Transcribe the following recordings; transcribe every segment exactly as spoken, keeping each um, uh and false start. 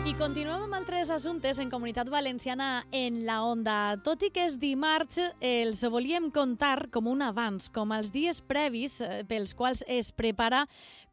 I continuem amb altres assumptes en Comunitat Valenciana en la Onda. Tot i que és dimarts, els volíem contar com un abans, com els dies previs pels quals es prepara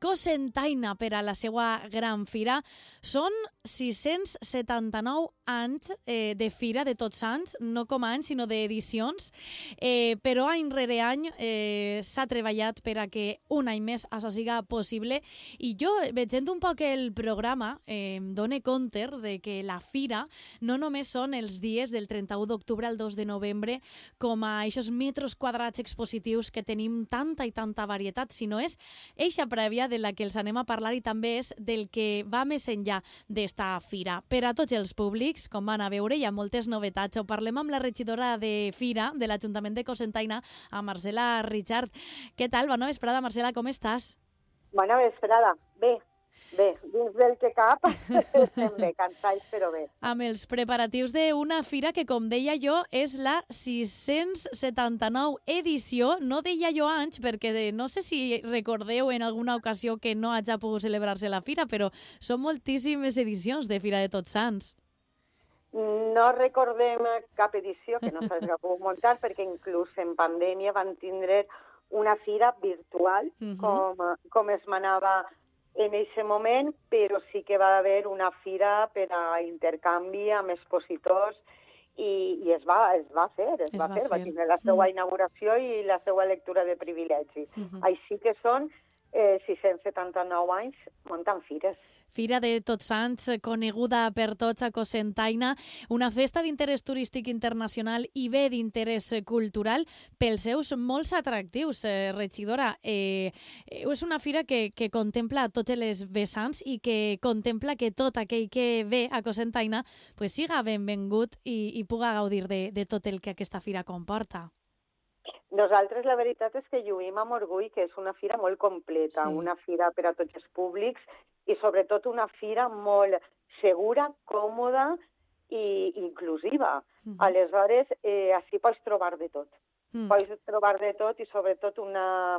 Cocentaina per a la seva gran fira. Són sis-cents setanta-nou anys eh, de fira de Tots Sants, no com a anys, sinó d'edicions, eh, però any rere any eh, s'ha treballat per a que un any més això siga possible. I jo, veient un poc el programa, eh, em dono compte de que la fira no només són els dies del trenta-u d'octubre al dos de novembre com a aquests metres quadrats expositius que tenim tanta i tanta varietat, sinó és eixa prèvia de la que els anem a parlar i també és del que va més enllà d'esta fira. Per a tots els públics, com van a veure, hi ha moltes novetats. Ho parlem amb la regidora de Fira de l'Ajuntament de Cocentaina, a Marcela Richard. Què tal? Bona vesprada, Marcela, com estàs? Bona vesprada. Bé, bé, dins del que cap, estem bé, cansats, però bé. Amb els preparatius d'una fira que, com deia jo, és la sis-cents setanta-nou edició. No deia jo anys, perquè no sé si recordeu en alguna ocasió que no hagi pogut celebrar-se la fira, però són moltíssimes edicions de Fira de Tots Sants. No recordem cap edició que no s'hagi pogut muntar, perquè inclús en pandèmia van tindre una fira virtual, uh-huh. com, com es manava en aquest moment, però sí que va haver una fira per a intercanvi amb expositors i, i es, va, es va fer, es, es va, va fer, fer, va tindre la seva uh-huh. inauguració i la seva lectura de privilegi. Uh-huh. Així que són eh, sis-cents setanta-nou anys muntant fires. Fira de Tots Sants, coneguda per tots a Cocentaina, una festa d'interès turístic internacional i bé d'interès cultural pels seus molts atractius. Eh, regidora, eh, és una fira que, que contempla totes les vessants i que contempla que tot aquell que ve a Cocentaina pues, siga benvingut i, i puga gaudir de, de tot el que aquesta fira comporta. Nosaltres la veritat és que lluïm amb orgull que és una fira molt completa, sí. Una fira per a tots els públics i sobretot una fira molt segura, còmoda i inclusiva. Uh-huh. Aleshores, eh, així pots trobar de tot. Uh-huh. Pots trobar de tot i sobretot una,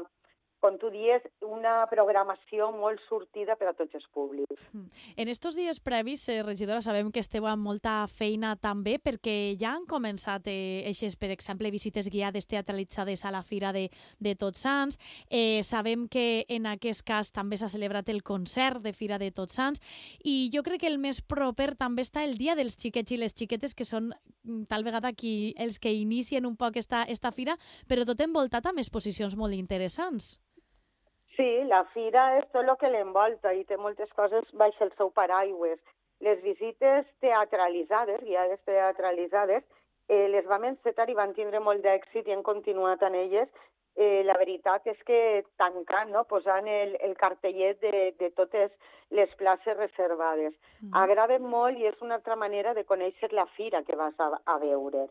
com tu dius, una programació molt sortida per a tots els públics. Uh-huh. En estos dies previs, eh, regidora, sabem que esteu amb molta feina també perquè ja han començat eh, eixes, per exemple, visites guiades teatralitzades a la Fira de, de Tots Sants. Eh, sabem que en aquest cas també s'ha celebrat el concert de Fira de Tots Sants i jo crec que el més proper també està el dia dels xiquets i les xiquetes, que són tal vegada qui, els que inicien un poc esta, esta fira, però tot envoltat amb exposicions molt interessants. Sí, la fira és tot el que l'envolta i té moltes coses baix el seu paraigües. Les visites teatralitzades, guiades teatralitzades, eh, les vam encetar i van tindre molt d'èxit i han continuat en elles. Eh, la veritat és que tancant, no? Posant el, el cartellet de, de totes les places reservades. Mm. Agrada molt i és una altra manera de conèixer la fira que vas a, a veure.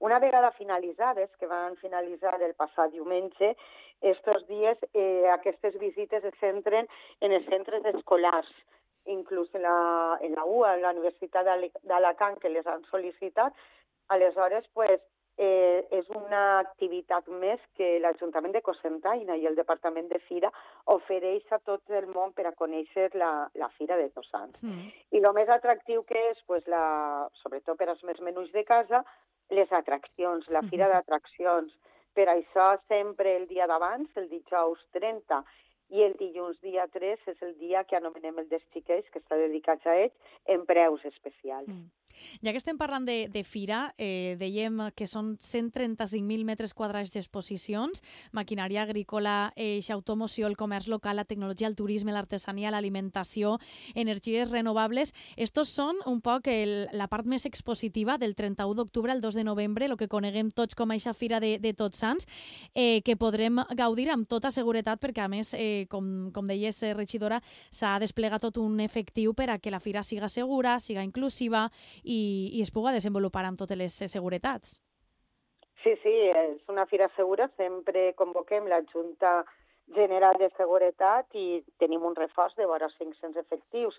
Una vegada finalitzades, que van finalitzar el passat diumenge, estos dies eh, aquestes visites es centren en els centres escolars, inclús en la, en la U A, en la Universitat d'Alacant, que les han sol·licitat. Aleshores, pues, eh, és una activitat més que l'Ajuntament de Cocentaina i el Departament de Fira ofereix a tot el món per a conèixer la, la Fira de Tots Sants. Mm. I el més atractiu que és, pues, la, sobretot per als més menuts de casa, les atraccions, la fira d'atraccions. Per això sempre el dia d'abans, el dijous trenta, i el dilluns dia tres és el dia que anomenem el dels xiquets, que està dedicat a ells, en preus especials. Mm. Ja que estem parlant de, de fira, eh, dèiem que són cent trenta-cinc mil metres quadrats d'exposicions, maquinària agrícola, eix, automoció, el comerç local, la tecnologia, el turisme, l'artesania, l'alimentació, energies renovables. Estos són un poc el, la part més expositiva del trenta-u d'octubre al dos de novembre, el que coneguem tots com a eixa fira de, de Tots Sants, eh, que podrem gaudir amb tota seguretat perquè, a més, eh, com, com deies, eh, regidora, s'ha desplegat tot un efectiu per a que la fira siga segura, siga inclusiva i, i es pugui desenvolupar amb totes les seguretats. Sí, sí, és una fira segura. Sempre convoquem la Junta General de Seguretat i tenim un reforç de vora cinc-cents efectius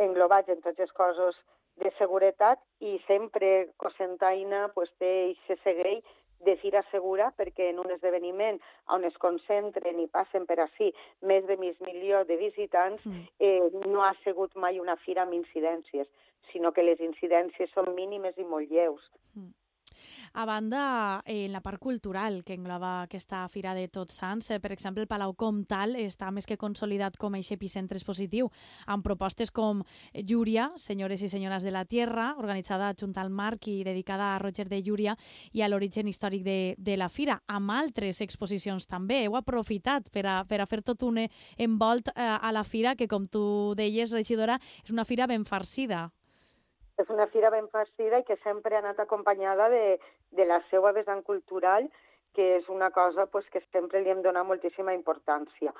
englobats en tots els cossos de seguretat i sempre Cocentaina pues, té i se segueix de fira segura, perquè en un esdeveniment on es concentren i passen per ací més de mig milió de visitants, eh, no ha sigut mai una fira amb incidències, sinó que les incidències són mínimes i molt lleus. A banda, en la part cultural que engloba aquesta Fira de Tots Sants, eh, per exemple, el Palau Comtal està més que consolidat com a epicentre expositiu, amb propostes com Llúria, Senyores i Senyores de la Tierra, organitzada junt al Marc i dedicada a Roger de Llúria i a l'origen històric de, de la Fira, amb altres exposicions també. Heu aprofitat per a, per a fer tot un envolt eh, a la Fira, que com tu deies, regidora, és una Fira ben farcida. És una fira ben farcida i que sempre ha anat acompanyada de, de la seva vessant cultural, que és una cosa pues, que sempre li hem donat moltíssima importància.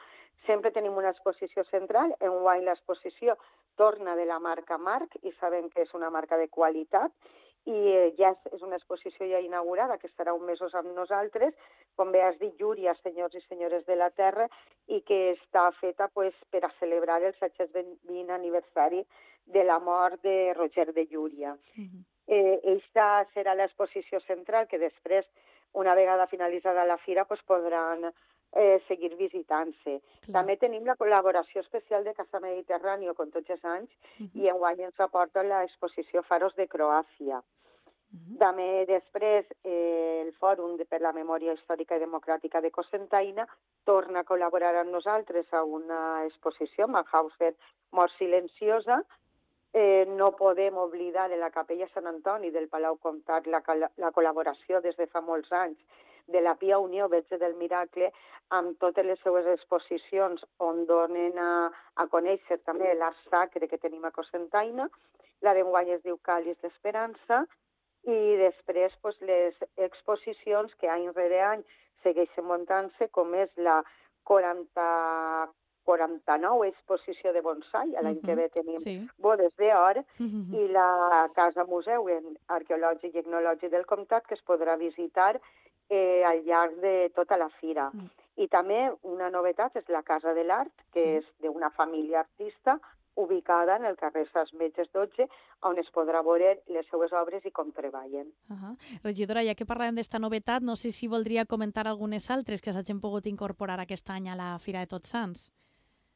Sempre tenim una exposició central, enguany l'exposició torna de la marca Marc, i sabem que és una marca de qualitat, i eh, ja és, és una exposició ja inaugurada, que estarà un mesos amb nosaltres, com bé has dit, Llúria, Senyors i Senyores de la Terra, i que està feta pues, per a celebrar el set-cents vint aniversari de la mort de Roger de Llúria. Uh-huh. Eh, Aquesta serà l'exposició central, que després, una vegada finalitzada la fira, pues, podran eh, seguir visitant-se. També tenim la col·laboració especial de Casa Mediterrània, com tots els anys, uh-huh. i enguany ens aporta l'exposició Faros de Croàcia. Uh-huh. També després eh, el Fòrum de, per la Memòria Històrica i Democràtica de Cocentaina torna a col·laborar amb nosaltres a una exposició, Mauthausen, Mort Silenciosa. Eh, no podem oblidar de la Capella Sant Antoni del Palau Comtat la, la col·laboració des de fa molts anys de la Pia Unió Verge del Miracle amb totes les seues exposicions on donen a, a conèixer també l'art sacre que tenim a Cocentaina. La d'enguany es diu Càliz d'Esperança, i després pues, les exposicions que any rere any segueixen muntant-se, com és la quaranta quaranta-nou exposició de bonsai, l'any uh-huh. que ve tenim sí. bodes d'or, uh-huh. i la Casa Museu Arqueològic i Etnològic del Comtat, que es podrà visitar eh, al llarg de tota la fira. Uh-huh. I també una novetat és la Casa de l'Art, que sí. és d'una família artista, ubicada en el carrer Sants Metges dotze, on es podrà veure les seues obres i com treballen. Uh-huh. Regidora, ja que parlàvem d'esta novetat, no sé si voldria comentar algunes altres que s'hagin pogut incorporar aquest any a la Fira de Tots Sants.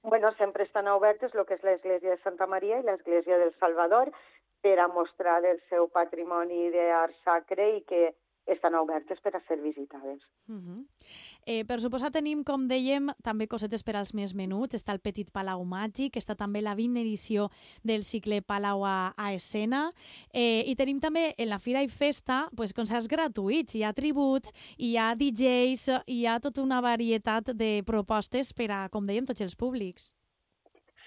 Bueno, sempre estan obertes el que és l'església de Santa Maria i l'església del Salvador per a mostrar el seu patrimoni d'art sacre i que estan obertes per a ser visitades. Uh-huh. eh, per suposar tenim, com dèiem, també cosetes per als més menuts. Està el Petit Palau Màgic, està també la vintena edició del cicle Palau a, a escena, eh, i tenim també en la Fira i Festa pues, concerts gratuïts, hi ha tributs, hi ha D Js, hi ha tota una varietat de propostes per a, com dèiem, tots els públics.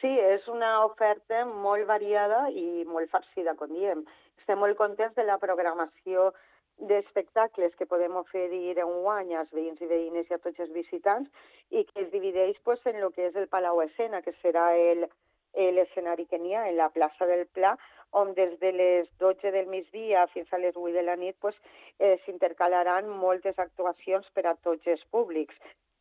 Sí, és una oferta molt variada i molt farcida, com diem. Estem molt contents de la programació d'espectacles que podem oferir enguany als veïns i veïnes i a tots els visitants, i que es divideix pues, en el que és el Palau Escena, que serà l'escenari que n'hi ha en la plaça del Pla, on des de les dotze del migdia fins a les vuit de la nit pues, eh, s'intercalaran moltes actuacions per a tots els públics,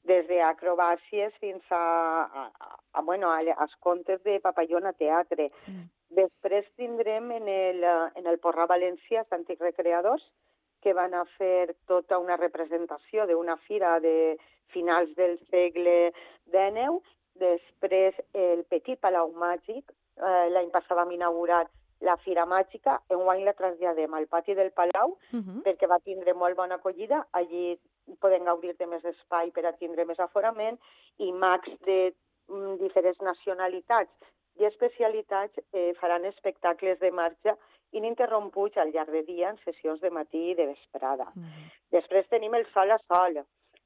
des d'acrobàcies fins a, a, a, a, bueno, a, als contes de Papallona Teatre. Mm. Després tindrem en el, en el Porrà Valencià els Antics Recreadors, que van a fer tota una representació d'una fira de finals del segle dinou. Després el Petit Palau Màgic, eh, l'any passat vam inaugurar la Fira Màgica, enguany la traslladem al pati del Palau, uh-huh. perquè va tindre molt bona acollida. Allí podem gaudir de més espai per a tindre més aforament, i mags de mm, diferents nacionalitats i especialitats eh, faran espectacles de marxa ininterromputs al llarg de dia en sessions de matí i de vesprada. Mm. Després tenim el Sol a Sol.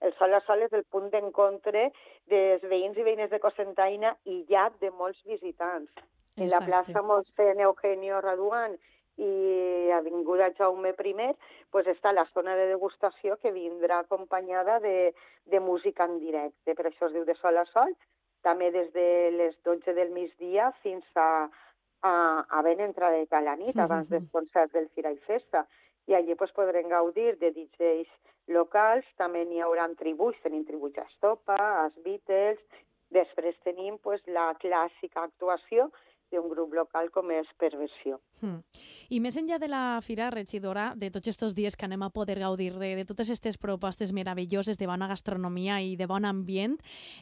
El Sol a Sol és el punt d'encontre dels veïns i veïnes de Cocentaina i ja de molts visitants. Exacte. En la plaça Mossèn Eugenio Raduan i Avinguda Jaume I pues està la zona de degustació, que vindrà acompanyada de, de música en directe. Per això es diu de Sol a Sol. També des de les dotze del migdia fins a, a, a ben entradeta a la nit, abans del concert del Fira i Festa. I allí pues, podrem gaudir de D Js locals, també n'hi haurà tributs, tenim tributs a Estopa, als Beatles. Després tenim pues, la clàssica actuació, d'un grup local com és Perversió. Mm. I més enllà de la fira, regidora, de tots aquests dies que anem a poder gaudir de, de totes aquestes propostes meravelloses de bona gastronomia i de bon ambient,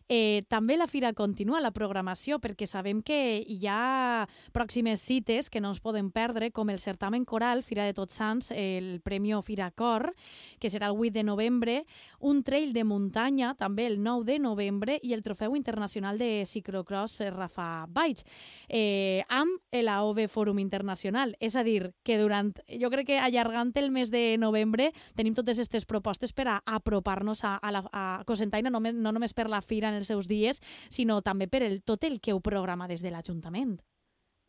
eh, també la fira continua, la programació, perquè sabem que hi ha pròximes cites que no ens poden perdre, com el certamen coral, Fira de Tots Sants, el Premi Fira Cor, que serà el vuit de novembre, un trail de muntanya, també el nou de novembre, i el Trofeu Internacional de Ciclocross Rafa Baig, eh, amb l'A O V Fòrum Internacional. És a dir, que durant, jo crec que allargant el mes de novembre tenim totes aquestes propostes per a apropar-nos a, a, la, a Cocentaina, no, no només per la fira en els seus dies, sinó també per el, tot el que ho programa des de l'Ajuntament.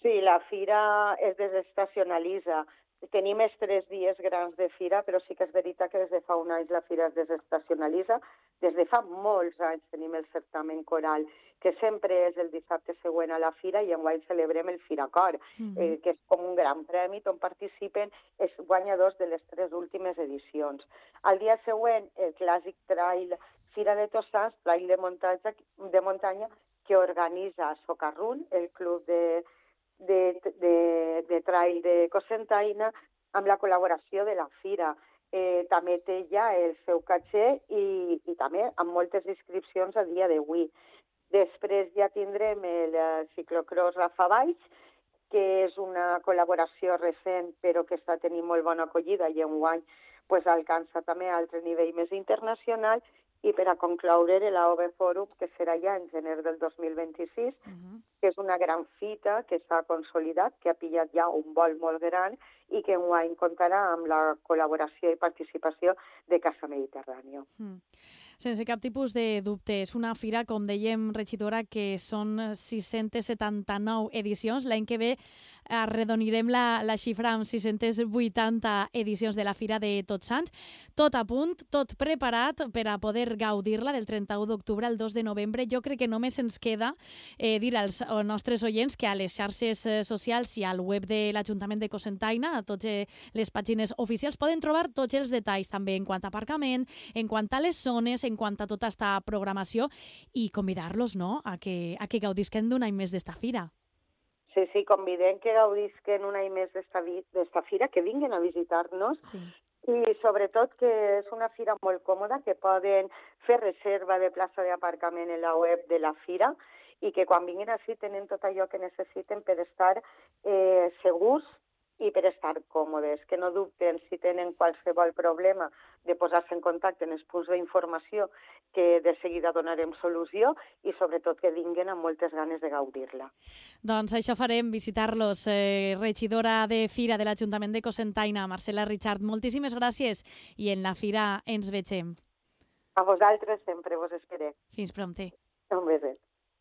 Sí, la fira es desestacionalitza. Tenim els tres dies grans de fira, però sí que és veritat que des de fa un any la fira es desestacionalitza. Des de fa molts anys tenim el certamen coral, que sempre és el dissabte següent a la fira, i enguany celebrem el Firacor, mm-hmm. eh, que és com un gran premi on participen els guanyadors de les tres últimes edicions. Al dia següent, el clàssic trail Fira de Tots Sants, trail de muntanya, de muntanya que organitza Socarrún, el club de De, de, de trail de Cocentaina, amb la col·laboració de la fira. Eh, també té ja el seu caché i, i també amb moltes inscripcions a dia d'avui. Després ja tindrem el ciclocross Rafa Baig, que és una col·laboració recent però que està tenint molt bona acollida i enguany pues, alcança també a altre nivell més internacional. I per a concloure l'A O V Fòrum, que serà ja en gener del dos mil vint-i-sis, uh-huh. que és una gran fita que s'ha consolidat, que ha pillat ja un vol molt gran i que enguany comptarà amb la col·laboració i participació de Casa Mediterrània. Uh-huh. Sense cap tipus de dubte, és una fira, com dèiem, regidora, que són sis-centes setanta-nou edicions. L'any que ve arredonirem la, la xifra amb sis-centes vuitanta edicions de la Fira de Tots Sants. Tot a punt, tot preparat per a poder gaudir-la del trenta-u d'octubre al dos de novembre. Jo crec que només ens queda eh, dir als, als nostres oients que a les xarxes socials i al web de l'Ajuntament de Cocentaina, a totes les pàgines oficials, poden trobar tots els detalls també en quant a aparcament, en quant a les zones, en quant a tota aquesta programació, i convidar-los, no?, a que, a que gaudisquen d'un any més d'esta fira. Sí, sí, convidem que gaudisquen un any més d'esta fira, que vinguin a visitar-nos, sí. I sobretot que és una fira molt còmoda, que poden fer reserva de plaça d'aparcament en la web de la fira i que quan vinguin així tenen tot allò que necessiten per estar eh, segurs i per estar còmodes, que no dubten si tenen qualsevol problema de posar-se en contacte en els punts d'informació, que de seguida donarem solució, i sobretot que vinguin amb moltes ganes de gaudir-la. Doncs això farem, visitar-los. Eh, regidora de Fira de l'Ajuntament de Cocentaina, Marcela Richard, moltíssimes gràcies i en la fira ens vegem. A vosaltres sempre vos esperem. Fins prompte. Un beset.